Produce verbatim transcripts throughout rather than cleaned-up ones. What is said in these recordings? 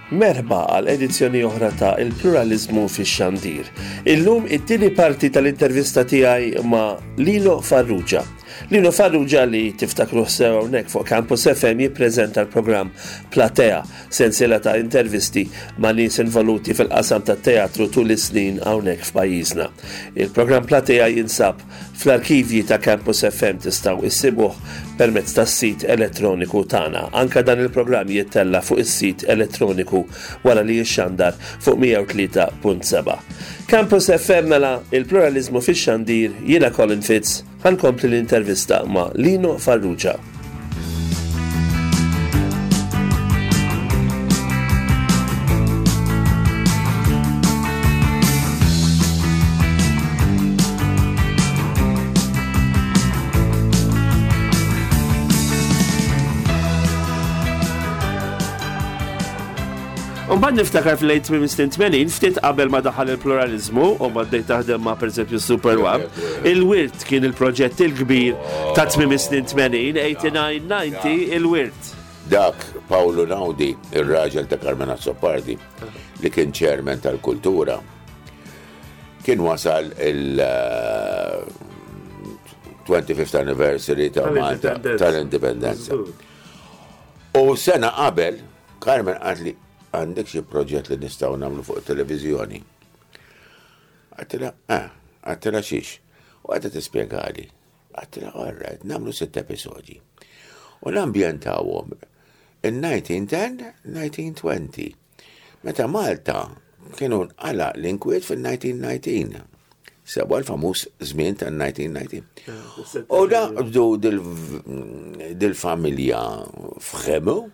Merħba għal edizzjoni oħra ta' Il-Pluralizmu fix-Xandir. Illum it-tieni parti tal-intervista tiegħi ma' Lino Farrugia. Lino Farrugia li tiftakru sew hawnhekk fuq Campus F M jippreżenta l-programm Platea, sensiela ta' intervisti ma' nies involuti fil-qasam tat-teatru tul is-snin hawnhekk f'pajjiżna. Il-programm Platea jinsab fl-arkivji ta' Campus F M, tistgħu issibuh permezz tas-sit elettroniku tagħna. Anka dan il-programm jittella fuq is-sit elettroniku wara li jixxandar fuq mija u tlieta punt seba'. Campus F M, mela, il-pluralizmu fix-xandir, jiena Colin Fitz, ħa nkompli l-intervista ma' Lino Farrugia. Mbagħad niftakar fil-late snin tmenin, ftit qabel ma daħal il-pluralizmu u ma bdejt taħdem ma' pereżempju Super One, il-Wirt kien il-proġett il-kbir ta' tmiem snin tmenin, tmuna u disgħin, disgħa u disgħin, il-Wirt. Dak Paolo Naudi, il-raġel ta' Carmen Azzopardi, li kien chairman tal-kultura, kien wasal il-twenty-fifth anniversary ta' Malta tal-Indipendenza. U sena qabel, Carmen qaltli, "Għandek xi proġett li nistgħu nagħmlu fuq televizjoni?" Għedtilha, "Ah," għedtilha, "xiex?" U għedha tispjegali. Għedtilha, "All right, nagħmlu sitt episodji. U nambjentawhom in-nineteen ten, nineteen twenty. Meta Malta kienu nqala l-inkwiet fil-nineteen nineteen. Sewwa, l-famuż żmien tan-nineteen nineteen. U da dil-familja Frémaux,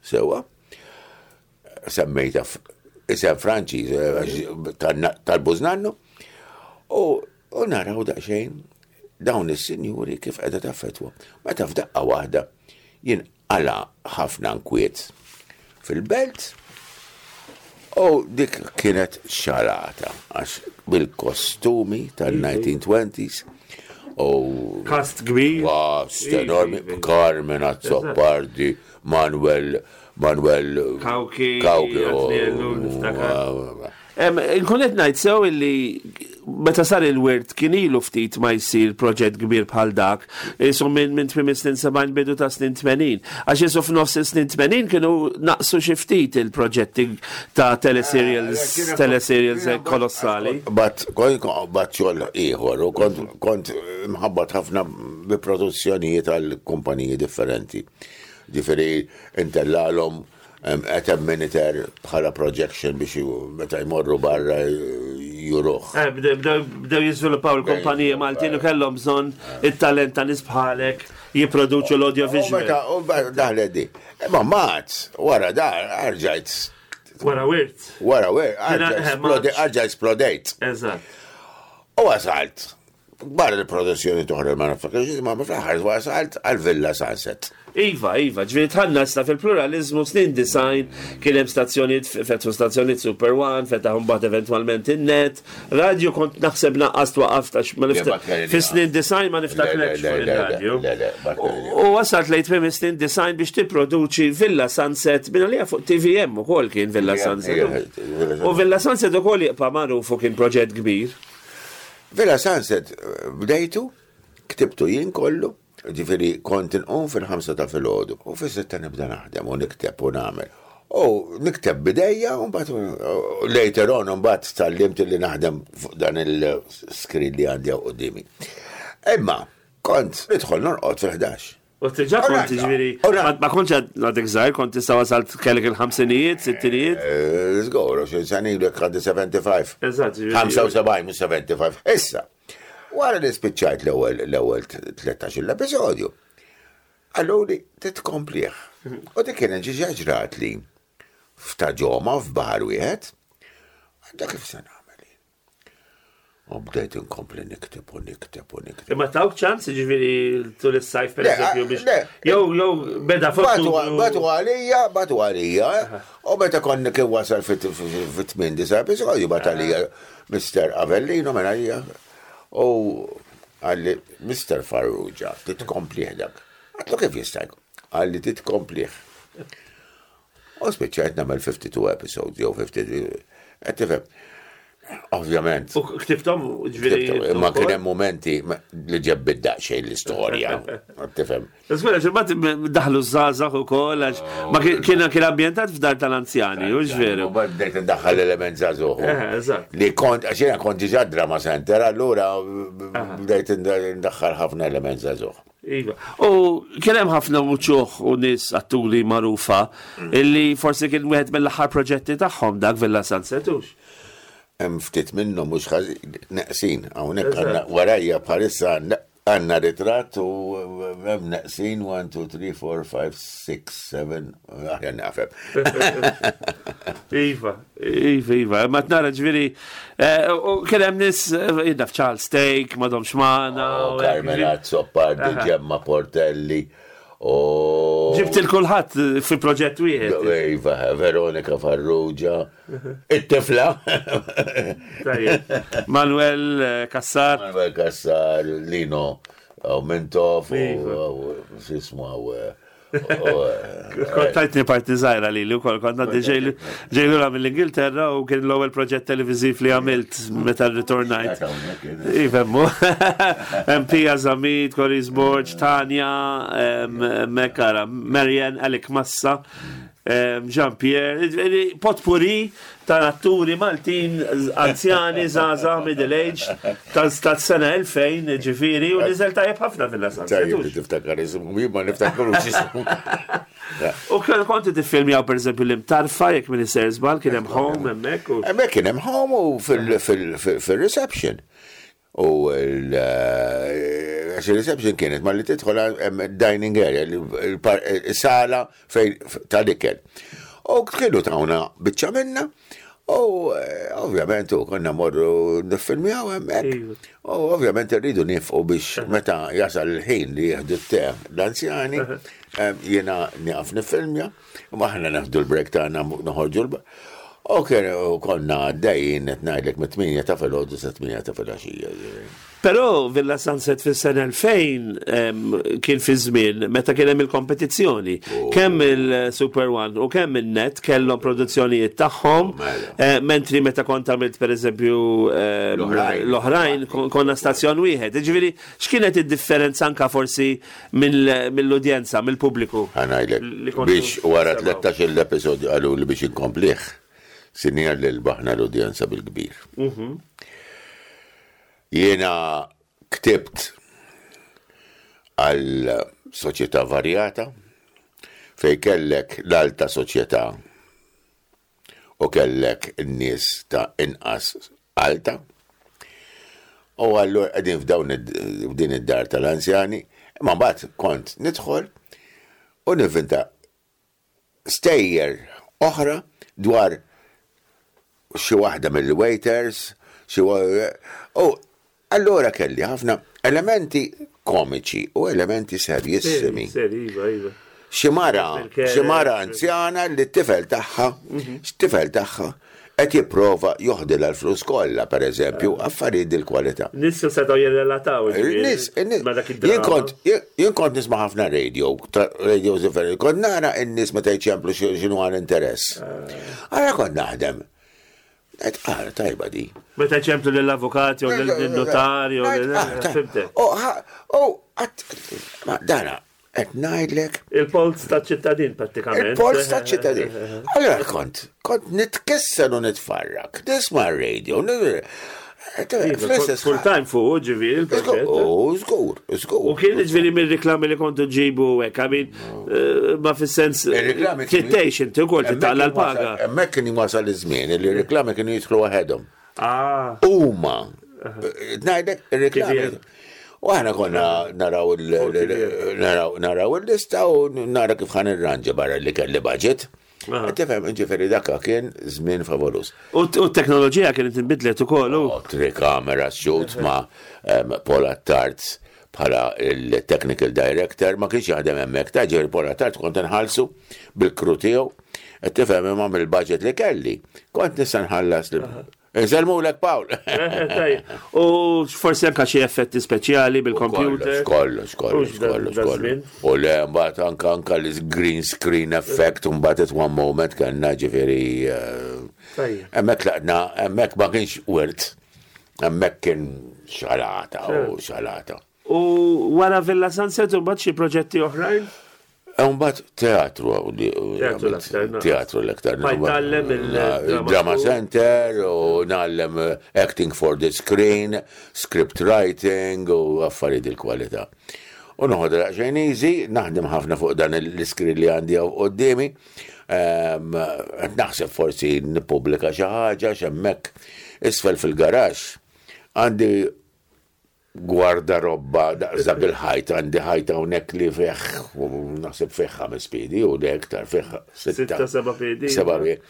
sewwa, semmejta isem Franċiż tal-bużnannu, u u naraw daqsxejn dawn is-sinjuri kif qiegħda taffettwa. Meta f'daqqa waħda jinqala ħafna nkwiet fil-belt u dik kienet xalata għax bil-kostumi tal-nineteen twenties u Cast kbir. Cast enormi, Carmen Azzopardi, Manuel Manuel Cauchi, Cauchi, Atriellu, niftakar. Nkun qed ngħid sew illi meta sar il-Wirt kien ilu ftit ma jsir proġett kbir bħal dak, isu minn minn tmiem snin sebgħin, bidu ta' snin tmenin. Għax isu f'nofs snin tmenin kienu naqsu xi ftit il-proġetti ta' teleserials, teleserials kolossali. But but xogħol ieħor u kont kont mħabbat ħafna bi produzzjonijiet għal kumpaniji differenti. Ġifieri intellalhom at a monitor bħala projection biex meta jmorru barra juruh. Eh, bdew jiżviluppaw il-kumpaniji Maltin u kellhom bżonn it-talent ta' nies bħalek jipproduċu l-audiovisual. U daħlet di. Imma mat, wara da, rġajt. Wara Wirt. Wara Wirt, rġajt splodejt. Eżatt. U wasalt. Barra l-produzzjoni toħra ma naftakarx, ma fl-aħħar wasalt għal Villa Sunset. Iva, Iva, ġifieri dħalna issa fil-pluralizmu snin disgħin, kien hemm stazzjonijiet, fetħu stazzjonijiet Super One, fetaħ mbagħad eventwalment in-Net, radio kont naħseb naqqas twaqaf għax ma niftakar. Fis-snin disgħin ma niftakrekx fuq il-radio. U wasalt lejn tmiem snin disgħin biex tipproduċi Villa Sunset, minn għalija fuq T V M ukoll kien Villa Sunset. U Villa Sunset ukoll jibqa' magħruf u kien proġett kbir. Villa Sunset bdejtu, ktibtu jien kollu, ġifieri kont inqum fil-ħamsa ta' filgħodu u fis-sitta nibda naħdem u nikteb u nagħmel. U nikteb b'idejja u mbagħad later on mbagħad tgħallimt li naħdem fuq dan il-screen li għandi quddiemi. Imma kont nidħol norqod fil-ħdax. U diġà kont, ġifieri, ma kontx għadek żgħir, kont tista' wasalt kellek il-ħamsinijiet, sittinijiet? Żgur, għoxrin sena ilu għandi sebgħa u ħamsin. Eżatt, ġifieri. ħamsa u sebgħin, mhux sebgħa u ħamsin. Issa, wara li spiċċajt l-ewwel l-ewwel tlettax-il episodju, qaluli titkomplih. U dik kienet ġiġa ġrat li f'ta' ġoma f'baħar wieħed, għadda kif se nagħmel. U bdejt inkompli nikteb u nikteb u nikteb. Imma tawk ċans, ġifieri tul is-sajf per eżempju biex. Jew jew beda Bagħtu bagħtu għalija, bagħtu għalija, u meta konni kien wasal fit-tmien disa' episodju bagħat għalija Mister Avellino minn għalija u qalli, "Mister Farrugia, titkomplih dak." Għedtlu, "Kif jista' jkun?" Qalli, "Titkomplih." U spiċċajt nagħmel fifty-two episodes jew fifty-three. Qed tifhem. Ovvjament. U ktibthom, ġifieri. Imma kien hemm momenti li ġebbid daqsxejn l-istorja. Tifhem. Skwela, ximbat daħlu żgħażagħ ukoll, għax ma kien kien ambjentat f'dar tal-anzjani, u veru. U bdejt ndaħħal element żagħżugħ. Eh, eżatt. Li kont, għax jiena kont diġà Drama Center, allura bdejt ndaħħal ħafna element żagħżugħ. Iva. U kien hemm ħafna muċuħ u nies atturi magħrufa illi forsi kien wieħed mill-aħħar proġetti tagħhom dak Villa Sunset, hux. Hemm ftit minnhom mhux ħażin neqsin, hawnhekk għandna warajja bħalissa għandna- għandna ritratt u hemm neqsin one, two, three, four, five, six, seven, aħjar nafhem. Iva, iva, iva. Ma tnara ġifieri, eh, u kien hemm nies, eh, jiena Charles Steak, Madom Xmana. U u hekk, Carmen ġifieri. Azzopardi, Gemma Portelli, u Ġibt il-kulħadd fi proġett wieħed. Iva, Veronika Farrugia, it-tifla. Tajjeb. Manuel eh, Cassar. Manuel Cassar, Lino u Mintoff, u Iva. u x'ismu u Kont tajtni parti żgħira li li wkoll kont għaddi ġejlura mill-Ingilterra u kien l-ewwel proġett televiżiv li għamilt meta rritornajt. Ifemmu. Pia Zamit, Coris Borg, Tanja, em, Mekara, Marianne, Alec Massa, em, Jean-Pierre, ġifieri potpourri ta' atturi Maltin, anzjani, żgħażagħ, middle age, tas-sena elfejn, ġifieri, u niżel tajjeb ħafna fil Tajjeb li tiftakar ismu, jien ma niftakarux ismu. U kien konti tiffilmjaw per eżempju l-Imtarfa, jekk minn sejjer żball, kien hemm home hemmhekk. u- Hemmhekk kien hemm home u fil-reception. U l- għax il-reception kienet ma li tidħol hemm dining area, il-sala fejn tal-ikel. U kienu tawna biċċa minna, u eh, ovvjament u konna morru niffilmjaw hemmhekk. Iva. U ovvjament rridu nifqu biex meta jasal il-ħin li jieħdu t-te l-anzjani, em, jiena nieqaf nifilmja, u aħna neħdu l-break tagħna noħorġu l U kien u konna għaddejjin qed ngħidlek mit-tmienja ta' filgħodu sa tmienja ta' filgħaxija. Però Villa Sunset fis-sena elfejn em, kien fi żmien meta kien hemm il-kompetizzjoni. Kemm il-Super One u kemm il-Net kellhom produzzjonijiet tagħhom, mela. eh, mentri meta kont għamilt pereżempju em, L-oħrajn. l-oħrajn kon- konna stazzjon wieħed. Ġifieri x'kienet id-differenza anka forsi mill- mill-udjenza, mill-pubbliku? Ħa ngħidlek Li kontu biex wara semgħu. tlettax-il episodju qalu li biex inkomplih, sinjal li rbaħna l-udjenza bil-kbir. Jiena ktibt għal soċjetà varjata fej kellek l-alta soċjetà u kellek n-nies ta' inqas alta. U allura qegħdin f'dawn id- f'din id-dar tal-anzjani, imma mbagħad kont nidħol u nivvinta stejjer oħra dwar xi waħda mill-waiters, xi wa- u allura kelli ħafna elementi komiċi u elementi serjissimi. Seri, iva, iva. Xi mara, Il-care- xi mara anzjana li t-tifel tagħha, x-tifel tagħha qed jipprova joħdilha l-flus kollha, pereżempju, affarijiet dil-kwalità. Nies setgħu jirrelataw. ġifieri, Il-nies, il-nies, ma dak jien id-drama. kont, jien jien kont nisma' ħafna radio, ta- radio differenti, kont nara n-nies meta jċemplu xi- x'inhu għal interess. Ara kont naħdem. Għedt, ara, tajba di. Meta ċemplu lill-avukati u lill-notari u Għedt, ah, tajba. Fimtek. U, ha- u, għat, ma dana, qed ngħidlek, Il-polz ta' ċittadin prattikament. Il-polz ta' ċittadin. Allora kont, kont nitkisser u nitfarrak, nisma' radio, fl-istess Full time fuq, ġifieri, il-proġett. U, żgur, żgur. U kien ġifieri mill-reklami li kontu ġibu hekk, I mean, eh, ma fis-sens Il-reklami kienu- trid inti wkoll titqalla l-paga. Hemmhekk kien wasal iż-żmien li r-reklami kienu jidħlu waħedhom. Ah, Huma, ngħidlek ir-reklami. Kif U aħna konna naraw il- naraw naraw il-lista u nara kif ħa nirranġa barra li kelli budget. Aha. Tifhem, ġifieri dakka kien żmien favolus. U t- u t-teknoloġija kienet inbidlet ukoll. u- U Three camera shoot ma' um, Paul Attard bħala il-technical director ma kienx jaħdem hemmhekk ta' ġifieri Paul Attard kont nħallsu bil-crew tiegħu. Qed tifhem imma mill-budget li kelli. Kont nista' nħallas lil- Insellmulek, Paul. Tajjeb. U forsi anka xi effetti speċjali bil-computer. Kollox, kollox, Hux da- kollox, da kollox. żmien. U le, mbagħad anka anka l-green screen effect, mbagħad at one moment kellna, ġifieri. eh, Tajjeb. Hemmhekk laqna, hemmhekk ma kienx wirt, hemmhekk kien xalata u xalata. U wara Villa Sunset u mbagħad xi proġetti oħrajn? Mbagħad teatru li Teatru l-aktar, no. Teatru l-aktar. Ma jtgħallem il-drama Drama school. Center u ngħallem eh, acting for the screen, script writing u affarijiet il-kwalità. U noħod daqsxejn easy, naħdem ħafna fuq dan l-iskrin li għandi hawn quddiemi. Ehm, qed naħseb forsi nippubblika xi ħaġa x'hemmhekk isfel fil-garaxx. Għandi gwardarobba daqs dak il-ħajt, għandi ħajt hawnhekk li fih, u naħseb fih ħames piedi u le iktar, fih sitta. Sitta, seba' piedi. Seba' piedi.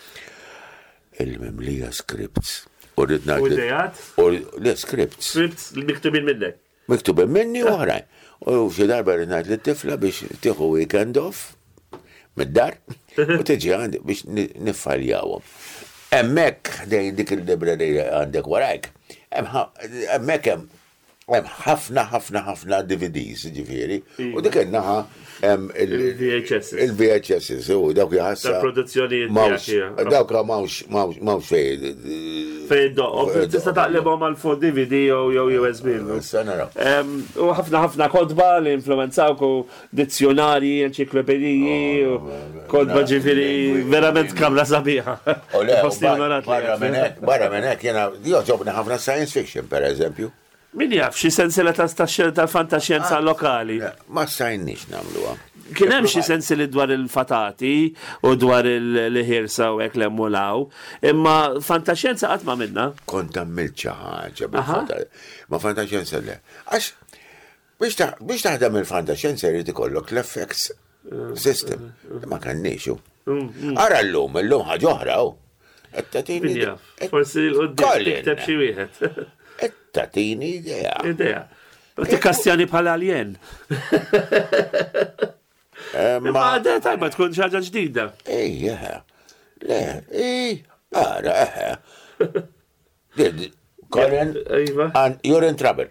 Il-mimlija scripts. U rrid U ngħid li- ideat? U le scripts. Scripts li miktubin minnek. Miktubin minni u oħrajn. U xi darba rrid ngħid lit-tifla biex tieħu weekend off mid-dar u tiġi għandi biex ni- niffaljawhom. Hemmhekk ħdejn dik il-librerija għandek warajk, hemm ħa- hemmhekk hemm hemm ħafna ħafna ħafna D V Ds, ġifieri. U dik in-naħa hemm il- Il-V H Ss. Il-V H Ss, u dawk jħassa. Tal-produzzjonijiet Mawx, tiegħek, ija. dawk mawx, mawx, mawx fej. Fejn doq, tista' taqlibhom għal fuq D V D jew jew U S B, no? Issa naraw. Em, U ħafna ħafna kotba li influenzawk u dizzjonarji, enċiklopediji, u kotba, ġifieri, verament kamra sabiħa. U le, u Ħossni onorat li barra minn hekk, barra minn hekk, jiena jogħġobni ħafna science fiction, per eżempju. Min jaf, xi sensiela ta' tal-fantaxjenza lokali. Ma stajniex nagħmluha. Kien hemm xi sensili dwar il-fatati u dwar il-ħirsa u hekk l-emmulaw, imma fantaxjenza qatt ma minna. Kont għamilt xi ħaġa bil-fanta- Ma fantaxjenza le. Għax biex taħ- biex taħdem il-fantaxjenza jrid ikollok l-effects system. Ma kenniex hu. Ara llum, illum ħaġa oħra hu. Qed tagħtini Min jaf, forsi l-qoddim Colin. tikteb xi wieħed. Qed tagħtini idea. Idea. U tikkastjani bħala alien. Eh, Ma Ma idea tajba, tkun xi ħaġa ġdida. Ej, eħe. Le, ej, ara, eħe. Did, Colin, Iva. and you're in trouble.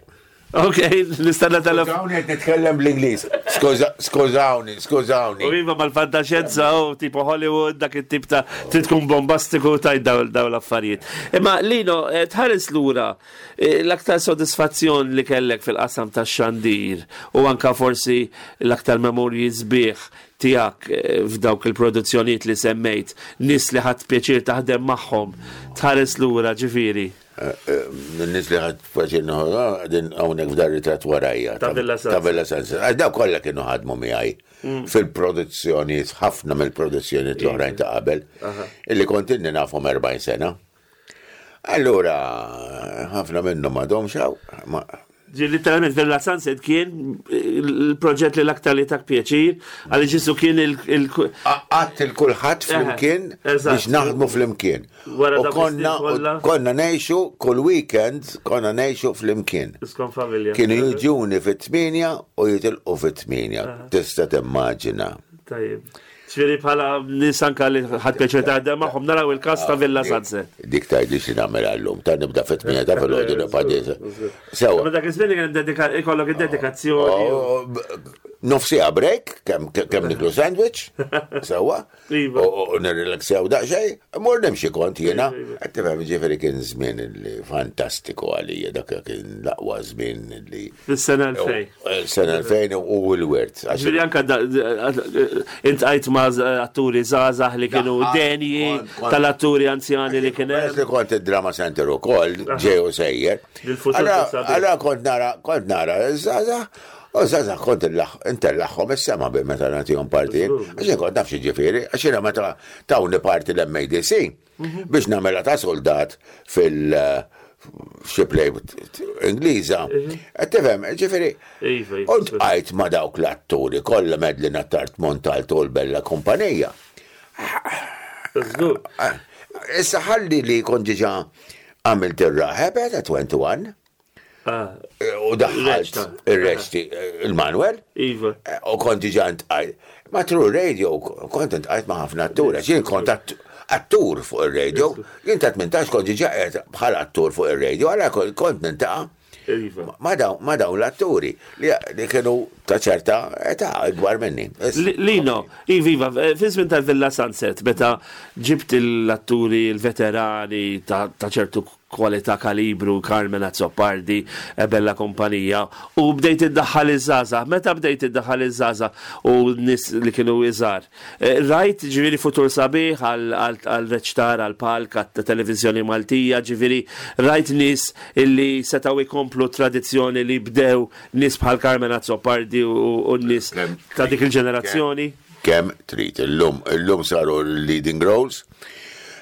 Ok, nistenna telefon. Skużawni, qed nitkellem bl-Ingliż. Skuża- Skużawni, skużawni. U iva, mal-fantaxjenza u tipo Hollywood, dak it-tip ta' trid tkun bombastiku tajt daw daw l-affarijiet. Imma Lino, eh, tħares lura eh, l-aktar sodisfazzjon li kellek fil-qasam ta' xandir u anka forsi l-aktar memorji sbieħ tiegħek eh, f'dawk il-produzzjonijiet li semmejt, nies li ħadt pjaċir taħdem magħhom, tħares lura, ġifieri. Nies li ħadt pjaċir, din hawnhekk f'dar ritratt warajja. Ta' Villa Sunset. Ta' Villa Sunset. Għax daw kollha kienu ħadmu miegħi fil-produzzjonijiet, ħafna mill-produzzjonijiet l-oħrajn ta' qabel, illi kont inni nafhom erbgħin sena. Allura, ħafna minnhom m'għadhomx hawn. Ma- Ġi literalment Villa Sunset kien il-proġett li l-aktar li tak pjaċir, għalli ġisu kien il- il- Għadt il-kulħadd flimkien eżatt. biex naħdmu flimkien. Wara U dawk konna, is-snin kollha. u konna ngħixu kull weekend, konna ngħixu flimkien. Iskon familja. Kienu jiġuni fit-tmienja u jitilqu fit-tmienja. Tista' timmaġina. Tajjeb. Ġifieri bħala nies anka li ħadt pjaċir taħdem magħhom naraw il-kas ta' Villa Sunset. Dik tgħidli xi nagħmel għallum, ta' nibda fit-tmienja ta' filgħodu nibqa' Sewa. Ma dak iż-żmien kien dedika- ikollok id-dedikazzjoni. Oh, b- Nofsija break, kemm kemm niklu sandwich, sewa, Iva. u u nirrelaxjaw daqsxejn, mur nimxi kont jiena. Qed tifhem, ġifieri kien żmien li fantastiku għalija, dak kien l-aqwa żmien li Fis-sena elfejn. Sena elfejn u l-wirt. Għax- Ġifieri anka da- iltqajt ma' atturi żgħażagħ li kienu Daħħal, denji kont- kont- tal-atturi anzjani li kien Peress hemm. li kont id-drama center u koll, ġej u sejjer. Il-futur Allora- sabiħ. Allora kont nara, kont nara, żgħażagħ, u żgħażagħ kont intellaħħom is-sema bi meta nagħtihom partijiet. Għax jien kont naf xi ġifieri, għax jiena meta tawni parti l-M A D C biex nagħmilha ta' soldat fil- xi play Ingliża. Qed tifhem, ġifieri, Iva, iva. u ltqajt ma' dawk l-atturi kollha, Medlin Attard Montalto u l-Bella Kumpanija. Żgur. Ah, issa ħalli li kont diġà għamilt ir-raħeb ta' wieħed u għoxrin Ah, u daħħalt Ir-reċta. ir-reċti il-Manuel Iva. u kont diġà ntqajt. Ma True Radio kont intqajt ma' ħafna atturi, jien kont att- Attur fuq il-radio, jien ta' tmintax kont diġà qiegħed bħala attur fuq il-radio, għala kont niltaqa' Iva. ma dawn ma dawn l-atturi li li kienu ta' ċerta età ikbar minni. Li- Lino, iva, fi żmien tal-Villa Sunset, meta ġibt l-atturi, l-veterani ta' ta' ċertu kwalità kalibru, Carmen Azzopardi, e Bella Kompanija, u bdejt iddaħħal iż-żgħażagħ. Meta bdejt iddaħħal iż-żgħażagħ u nies li kienu iżgħar. Eh, Rajt ġifieri futur sabiħ għal reċtar, għal palk, għat televizjoni Maltija, ġifieri rajt nies illi setgħu jkomplu tradizzjoni li bdew nies bħal Carmen Azzopardi u u nies Kemm ta' dik il-ġenerazzjoni. Kemm trid, illum illum saru leading roles.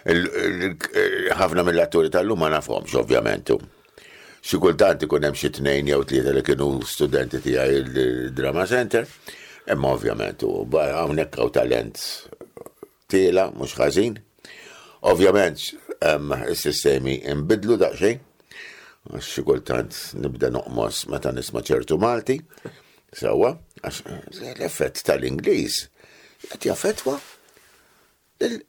Il- il- Ħafna mill-atturi tal-lum ma nafhomx ovvjament. Xi kultant ikun hemm xi tnejn jew tlieta li kienu studenti tiegħi il-Drama Center, imma ovvjament u ba- hawnhekk hawn talent tiela' mhux ħażin. Ovvjament hemm is-sistemi imbidlu daqsxejn, għax xi kultant nibda noqmos meta nisma' ċertu Malti, sewwa, għax l-effett tal-Ingliż qed jaffettwa lil-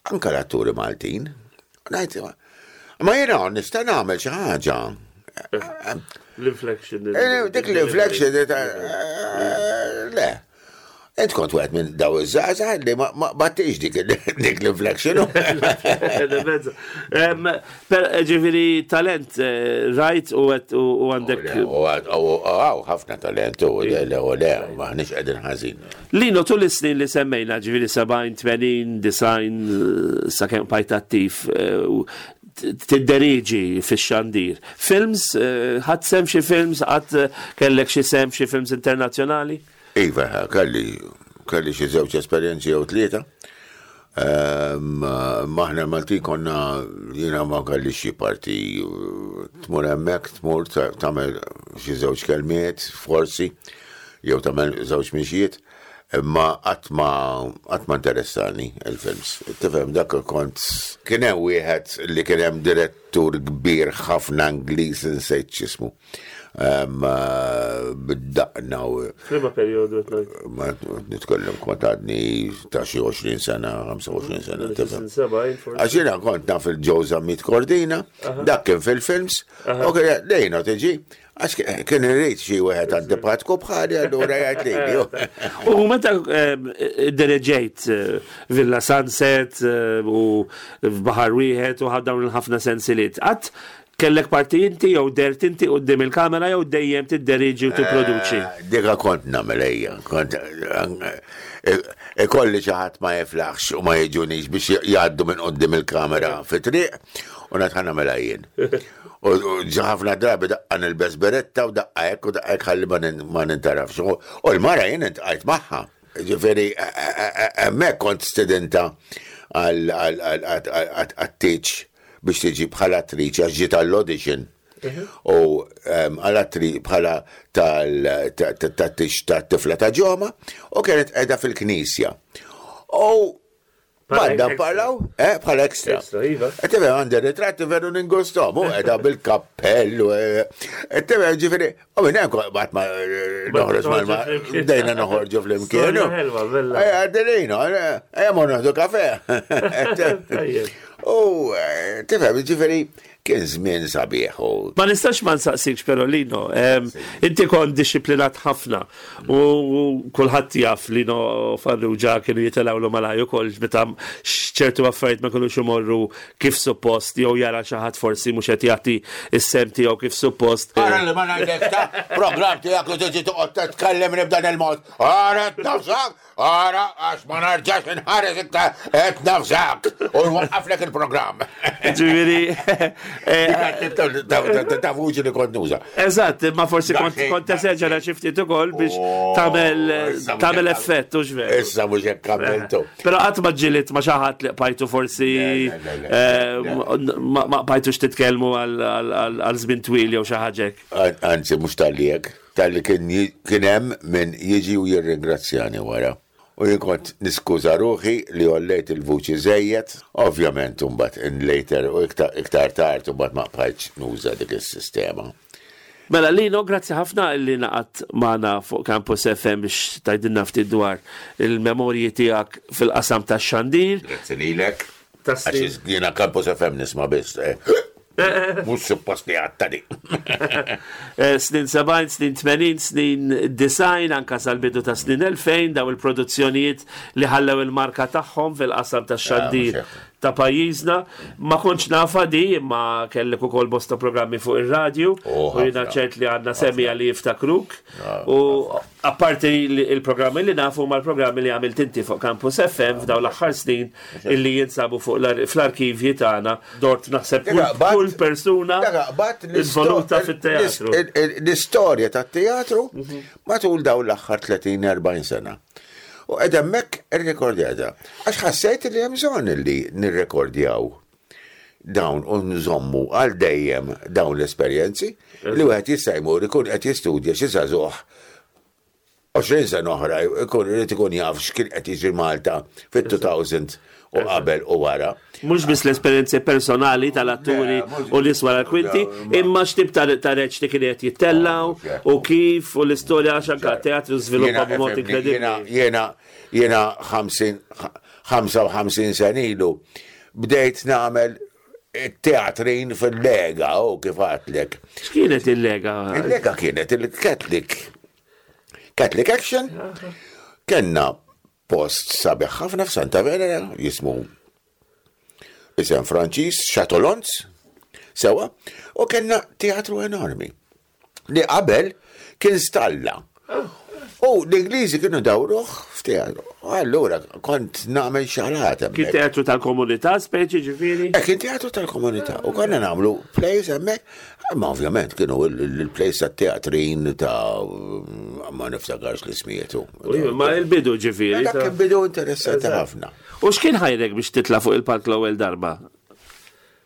anka l-atturi Maltin. Ngħid, Ma jiena nista' nagħmel xi ħaġa. L-inflection. Eh, Dik l-inflection, eh, le. Int kont wieħed minn daw iż-żgħażagħ li ma ma battix dik dik l-inflection. Per ġifieri talent, eh, rajt u għet u u għandek. Għaw, ħafna talent u le, le, u le, maħniex qegħdin ħażin. Lino, tul is-snin li semmejna, ġifieri sebgħin, tmenin, disgħin, sakemm bqajt attiv, eh, u tidderieġi fix-xandir. Films, eh, ħadt sehem xi films, ħadd eh, kellek xi sehem xi films internazzjonali? Iva, kelli, kelli xi żewġ esperjenzi jew tlieta. Ehm, Maħna Malti konna, jiena ma kelli xi parti, tmur hemmhekk, tmur ta- tagħmel xi żewġ kelmiet, forsi, jew tagħmel żewġ mixjiet, imma qatt ma qatt ma interessani il-films. Tifhem dak kont kien hemm wieħed li kien hemm direttur kbir ħafna Ingliż insejt x'ismu. Ehm, Bid-daqna u F'liema perjodu qed ma nitkellem kont għadni ta' xi għoxrin sena, ħamsa u għoxrin sena, tifhem. Għax jiena kont naf il-Joe Zammit Cordina, dak kien fil-films, u kien lejna tiġi, għax kien irrid xi wieħed antipatku bħali allura jgħid lili. U meta eh, diriġejt eh, Villa Sunset eh, u f'Baħar Wieħed u ħad dawn il-ħafna sensiliet, qatt kellek parti inti jew dert inti quddiem il-kamera jew dejjem tidderiġi u tipproduċi? Dika kont nagħmel ejja, kont eh, ikolli xi ħadd ma jiflaħx u ma jiġunix biex jgħaddu minn quddiem il-kamera fi triq u ngħid ħa nagħmilha jien. U u ħafna drabi daqqa nilbes beretta u daqqa hekk u daqqa hekk ħalli ma nin- ma nintarafx. U u l-mara jien iltqajt magħha. Ġifieri hemmhekk kont stedinta għat-tieġ biex tiġi bħala attriċi għax ġiet għall-audition. U għal-attri bħala tal-tix tat-tifla ta' ġoma u kienet qiegħda fil-knisja. U Bħala Madda extra. parlaw, eh, bħala extra. Extra, iva. E tifhem għandi ritratti veru ningustom, u qiegħda bil-kappell, u e tifhem ġifieri, u minn hemm bat ma noħroġ mal bdejna noħorġu flimkien. Storja ħelwa, bella. Eh, għaddelino, eh, mor noħdu kafe. Tajjeb. U eh, tifhem, ġifieri, kien żmien sabiħ u Ma nistax ma nsaqsikx però Lino, em, inti kont dixxiplinat ħafna u kulħadd jaf Lino Farrugia kienu jitilgħu malaj ukoll meta ċertu affarijiet ma kinux imorru kif suppost jew jara xi ħadd forsi mhux qed jagħti is-sehem tiegħu kif suppost. Ara li ma ngħidlek ta' program tiegħek u tiġi toqgħod titkellem b'dan il-mod. Ara tnafsak, ara għax ma narġax inħares iktar qed nafsak u nwaqqaflek il-programm. Ġifieri eh, Ta' vuċi li kont nuża. Eżatt, ma forsi kont Daqsxejn, kont teseġera xi ftit ukoll biex Oh, tagħmel issa mhux tagħmel hekk- effett u x'veru. Issa mhux hekk għamiltu. Pero qatt ma ġilidt ma xi ħadd li bqajtu forsi Le, le, le, le. eh, ma ma bqajtux titkellmu għal- għal għal żmien twil jew xi ħaġa hekk. Anzi, mhux talli hekk, talli kien ji- kien hemm min jiġi u jirringrazzjani wara. U jien kont niskuża ruħi li għollejt il-vuċi żejjed, ovvjament imbagħad in later u iktar iktar tard imbagħad ma bqajtx nuża dik is-sistema. Mela Lino, grazzi ħafna li ngħaqadt magħna fuq Campus F M biex tgħidilna ftit dwar il-memorji tiegħek fil-qasam tax-xandir. Grazzi lilek. Ta' snin. Għax jiena Campus F M nisma' biss. eh. Mhux suppost li għattadi. Eh, Snin sebgħin, snin tmenin, snin disgħin, anka sal-bidu ta' snin elfejn, daw il-produzzjonijiet li ħallew il-marka tagħhom fil-qasam ta' xandir mhux hekk. ta' pajjiżna. Ma kontx nafa di, imma kellek ukoll bosta programmi fuq ir-radju, Oh, u jiena ħafna. ċert li għandna semmiegħa li jiftakruk. U apparti li- il-programmi li nafu ma l-programmi li għamilt inti fuq Campus F M f'daw l-aħħar snin illi jinsabu fuq l- fl-arkivji tagħna dort naħseb kull, kull persuna involuta fit-teatru. L-istorja tat-teatru matul dawn l-aħħar tletin erbgħin sena. U qed hemmhekk irrekordjata. Għax ħassejt li hemm bżonn li nirrekordjaw dawn u nżommu għal dejjem dawn l-esperjenzi li wieħed jista' jmur ikun qed jistudja xi żagħżugħ għoxrin sena oħra, ikun irid ikun jaf x'kien qed jiġri Malta fit-elfejn u qabel u wara. Mhux biss l-esperjenzi personali tal-atturi Le, mhux- u nies wara l-kwinti, Le, ma- imma x'tip ta' ta' reċti kien qed jittellaw Ah, u kif u l-istorja, għax anka teatru żviluppa Jiena, b'mod ifhimni, inkredibbli. Jiena, jiena, jiena ħamsin ħamsa u ħamsin sena ilu bdejt nagħmel teatrin fil-Lega, u kif għedtlek. X'kienet il-Lega? Il-Lega kienet il-Catholic Catholic Action. Kenna post sabiħ ħafna f'Santa Venera, jismu isem Franċiż, Chatolons, sewa, u kenna teatru enormi li qabel kien stalla. U l-Ingliżi kienu dawruh f'teatru. Allura kont nagħmel xarat Kien hemmhekk. teatru tal-komunità speċi, ġifieri? Eh, kien teatru tal-komunità u konna nagħmlu plays hemmhekk, ma ovvjament kienu il-plays tat-teatrin ta' ma niftakarx l-ismietu. Ma il-bidu, ġifieri. Dak ta' kien bidu interessanti ħafna. U x'kien ħajrek biex titla' fuq il-palk l-ewwel darba?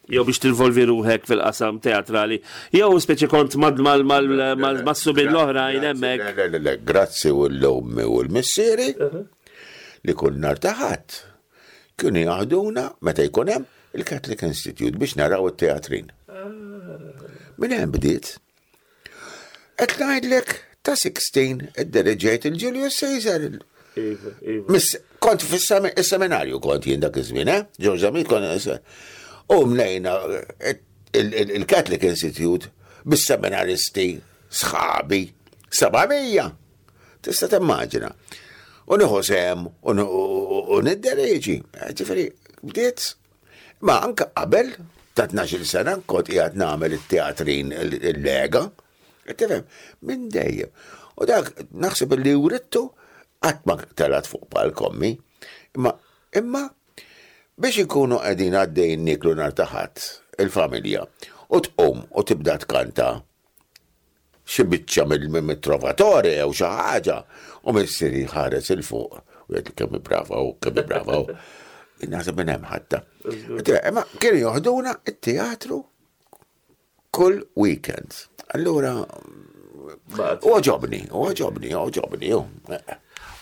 Jew biex tinvolvi ruħek fil-qasam teatrali? Jew speċi kont mad mal mal mal mas-subien l-oħrajn hemmhekk? Le, le, le, grazzi u l-ommi u l-missieri li kull nhar ta' Ħadd kienu jaħduna meta jkun hemm il-Catholic Institute biex naraw it-teatrin. Minn hemm bdiet. Qed ngħidlek, ta' sittax iddereġejt il-Julius Caesar. Iva, iva. Miss, kont fis-seminarju kont jien dak iż-żmien, eh? George Zammit kont. U mlejna il-Catholic Institute bis-seminaristi sħabi, seba' mija. Tista' timmaġina. U nieħu sehem u u niddereġi. Ġifieri, bdiet. Ma anka qabel ta' tnax-il sena kont qiegħed nagħmel it-teatrin il-Lega. Tifhem, minn dejjem. U dak naħseb li writtu, qatt ma telgħet fuq palk ommi. Imma imma biex ikunu qegħdin għaddejn niklu nhar ta' Ħadd il-familja u tqum u tibda tkanta xi biċċa mill-Trovatore jew xi ħaġa u missieri ħares 'il fuq u jgħid kemm brava u kemm brava u naħseb minn hemm ħatta. Imma kienu joħduna it-teatru kull weekend. Allura u għoġobni, u għoġobni, u għoġobni.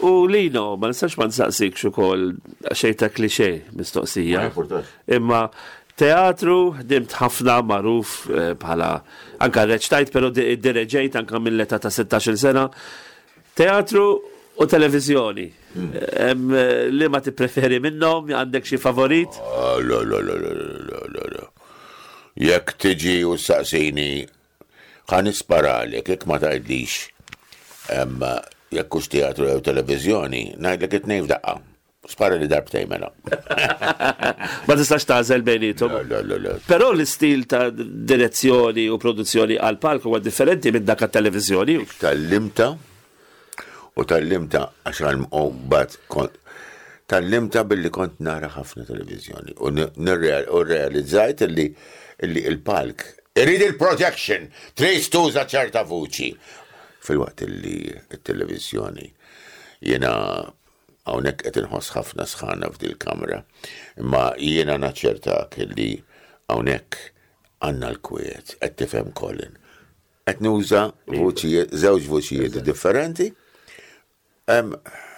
U Lino, ma nistax ma nsaqsik ukoll xejn ta' klixe mistoqsija. Ma importax. Imma teatru, ħdimt ħafna, magħruf eh, bħala anka reċtajt, pero direġejt anka mill-età ta' sittax-il sena. Teatru u televizjoni. Em, eh, Li ma tippreferi minnhom, għandek xi favorit? Ah, la, la, la, la, la, la, la. Jekk tiġi u saqsini, ħa nisparalek, jekk ma tgħidlix em, jekk hux teatru jew televizjoni, ngħidlek it-tnejn f'daqqa. Spara li darbtejn mela. Ma tistax tagħżel bejniethom. La, la, la. Però l-istil ta' direzzjoni u produzzjoni għal palk huwa differenti minn dak għat-televizjoni. Tgħallimtha u tgħallimtha għax għal bat kont tgħallimtha billi kont nara ħafna televizjoni u nirreal- u realizzajt illi illi il-palk irid il-projection, trid tuża ċerta vuċi. Fil-waqt illi il-televizjoni, jiena hawnhekk qed inħoss ħafna sħana f'dil kamra, imma jiena naċċertak illi hawnhekk għandna l-kwiet, qed tifhem, Colin. Qed nuża vuċijiet, żewġ vuċijiet differenti. Em,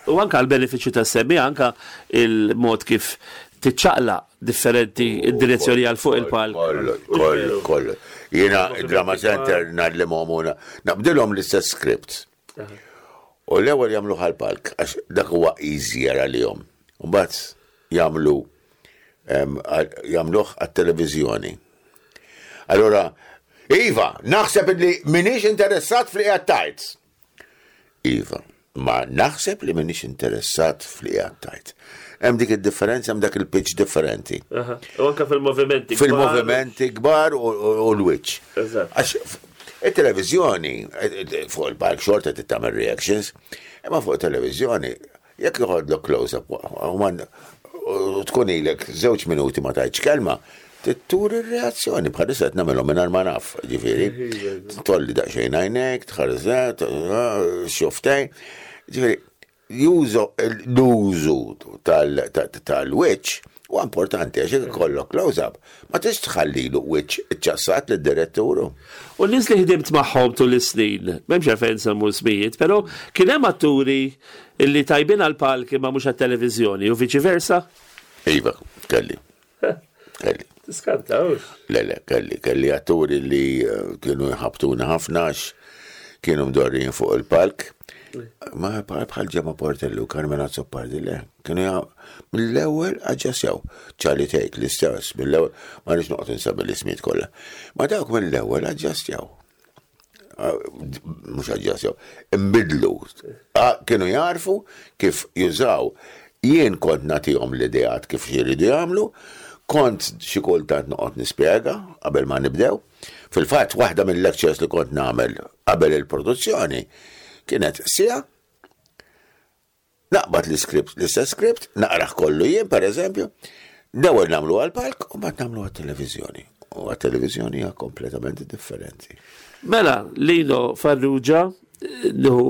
U anka għal-benefiċċju ta' semmi, anka il-mod kif tiċċaqlaq differenti id-direzzjoni għal fuq il-palk. Kollu, kollu, kollu. Jiena il-Drama Center ngħallimhom u naqbdilhom l-istess script. U l-ewwel jagħmlu għal-palk għax dak huwa easier għalihom. U mbagħad jagħmlu Jagħmluh għat-televiżjoni. Allora, iva, naħseb li m'iniex interessat f'li qiegħed tgħid. Iva, ma naħseb li m'iniex interessat f'li qiegħed tgħid. Hemm dik id-differenza, hemm dak il-pitch differenti. U anka fil-movimenti. Fil-movimenti kbar u l-wiċċ. Għax il-televizjoni, fuq il-palk xorta tagħmel reactions, imma fuq il-televizjoni, jekk joħodlok close-up, u tkun ilek żewġ minuti ma tgħidx kelma, turi r-reazzjoni, bħalissa qed nagħmelhom mingħajr ma naf, ġifieri. Tolli daqsxejn għajnek, tħares xufftejk. Ġifieri, jużu l-użu tal-wiċċ huwa importanti għax ikollok close-up. Ma tix tħallilu wiċċ iċċassat lid-diretturu. U n-nies li ħdimt magħhom tul is-snin, m'hemmx għalfejn nsemmu ismijiet, però kien hemm atturi illi tajbin għal-palk imma mhux għat-televiżjoni u viċi versa? Iva, kelli. Kelli. Tiskanta, Le, le, kelli, kelli atturi li eh, kienu jħabtuna ħafna għax kienu mdorrijin fuq il-palk. Ma bħal Gemma Portelli u Carmen Azzopardi, le. Kienu mill-ewwel aġġasjaw. Charlie Tate, l-istess, mill-ewwel, ma nix noqgħod insemmi l-ismijiet kollha. Ma dawk mill-ewwel aġġastjaw. Mhux aġġastjaw, imbidlu. Kienu jarfu kif jużaw. Jien kont nagħtihom l-ideat kif jridu jagħmlu, kont xi kultant noqgħod nispjega qabel ma nibdew. Fil-fatt, waħda mill-lectures li kont nagħmel qabel il-produzzjoni kienet sija naqbad l-script, l-istess script, naqraħ kollu jien, per eżempju, l-ewwel nagħmlu għal-palk u mbagħad nagħmlu għat-televiżjoni. U għat-televiżjoni hija kompletament differenti. Mela, Lino Farrugia, nieħu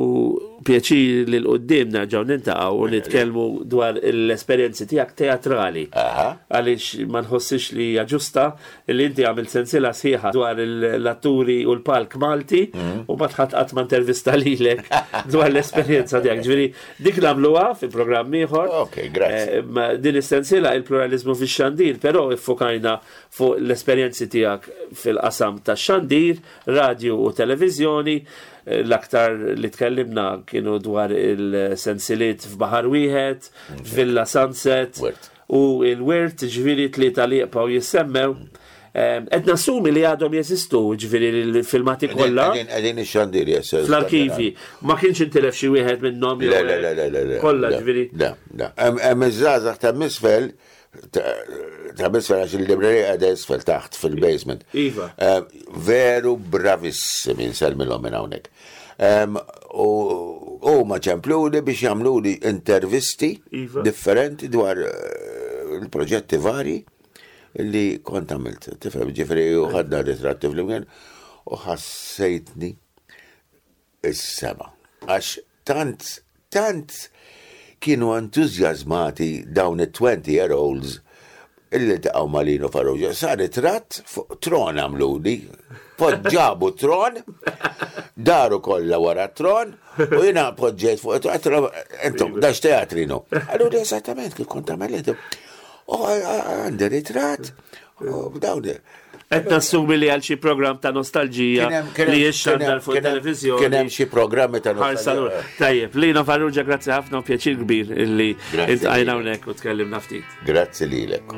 pjaċir li 'l quddiem nerġgħu niltaqgħu u nitkellmu dwar l-esperjenzi tiegħek teatrali. Għaliex ma nħossix li hija ġusta li inti għamilt sensiela sħiħa dwar l-atturi u l-palk Malti mm. u ma tħadd qatt ma intervista lilek dwar l-esperjenza tiegħek. Ġifieri dik nagħmluha fi programm ieħor. Ok, grazzi. Eh, din is-sensiela il-pluralizmu fix-xandir, però iffokajna fuq l-esperjenzi tiegħek fil-qasam tax-xandir, radio u televiżjoni. L-aktar li tkellimna kienu dwar il-sensiliet f'Baħar Wieħed, Villa Sunset u il-Wirt, ġifieri tlieta li jibqgħu jissemmew. Qed nassumi li għadhom jeżistu, ġifieri l-filmati kollha. Qegħdin ix-xandir jesser. Fl-arkivi. Ma kienx intilef xi wieħed minnhom. Le, le, le, le, le. Kollha, ġifieri. Le, le. Hemm iż-żgħażagħ ta' misfel ta' misfel għax il-librerija qiegħda isfel taħt fil-basement. Iva. Veru bravissimi, nsellmilhom minn hawnhekk. U huma ċempluli biex jagħmluli intervisti Iva. differenti dwar eh, il-proġetti vari li kont għamilt. Tifhem, ġifieri u ħadna ritratti flimkien u ħassejtni is-sema. Għax tant, tant kienu entużjażmati dawn it-twenty year olds illi ltaqgħu ma' Lino Farrugia. Sa ritratt fuq tron għamluli, poġġabu tron, daru kollha wara tron, u jiena poġġejt fuq tron, intom, dax teatrino. Allura esattament kif kont għamilt. U għandi ritratt, u dawn. Qed nassumi li għal xi programm ta' nostalġija li jixxandar fuq televizjoni. Kien hemm xi programmi ta' Ħarsa lura. nostalġija. Tajjeb, Lino Farrugia, grazzi ħafna u pjaċir kbir illi Grazzi iltqajna lilek. hawnhekk u tkellimna ftit. Grazzi lilek.